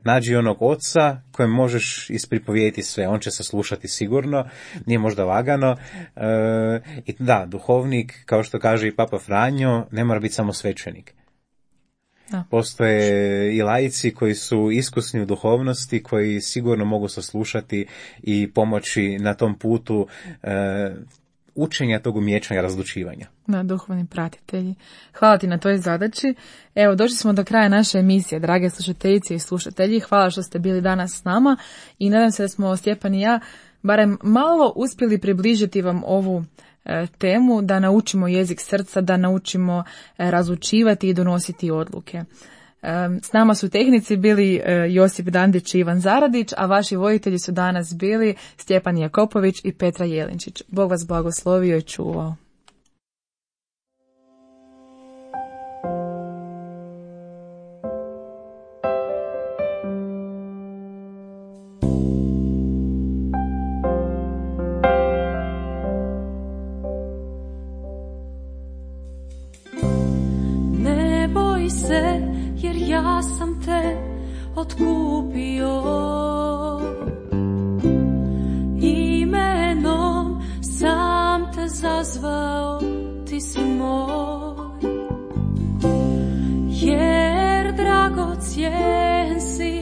Nađi onog oca kojem možeš ispripovijediti sve, on će se slušati sigurno, nije možda lagano. E, i da, duhovnik, kao što kaže i Papa Franjo, ne mora biti samo svećenik. Da. Postoje i laici koji su iskusni u duhovnosti, koji sigurno mogu saslušati i pomoći na tom putu e, učenja tog umjeća i razlučivanja. Da, duhovni pratitelji. Hvala ti na toj zadaći. Evo, došli smo do kraja naše emisije, drage slušateljice i slušatelji. Hvala što ste bili danas s nama i nadam se da smo, Stjepan i ja, barem malo uspjeli približiti vam ovu temu, da naučimo jezik srca, da naučimo razlučivati i donositi odluke. S nama su tehnici bili Josip Dandić i Ivan Zaradić, a vaši voditelji su danas bili Stjepan Jakopović i Petra Jelinčić. Bog vas blagoslovio i čuvao. Jer ja sam te otkupio imenom, sam te zazvao, ti si moj. Jer dragocjen si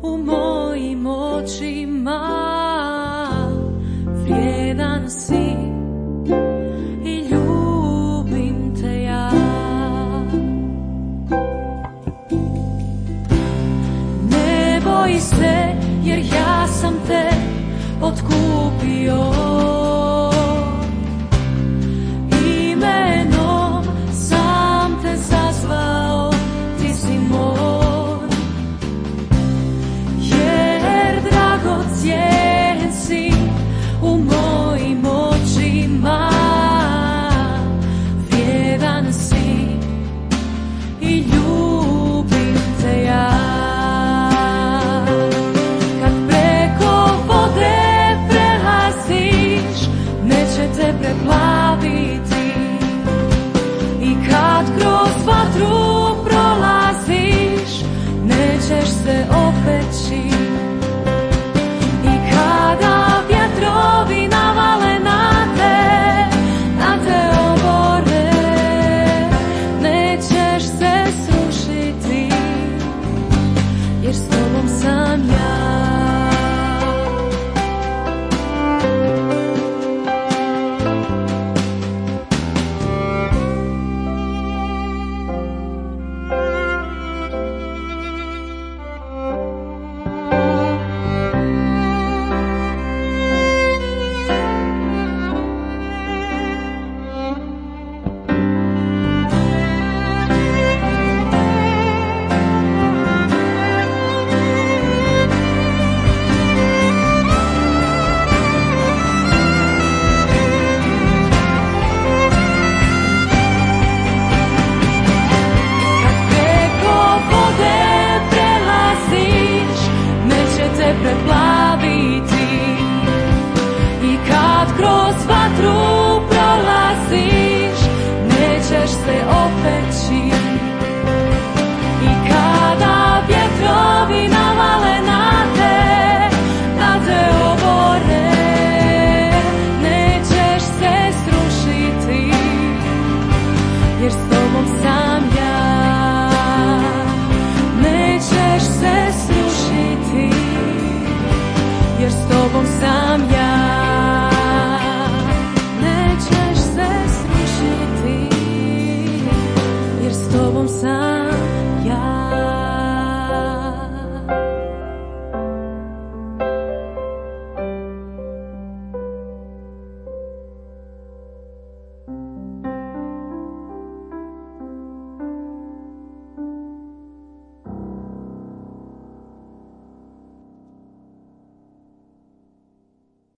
u mojim očima, vrijedan si i ljubav. sam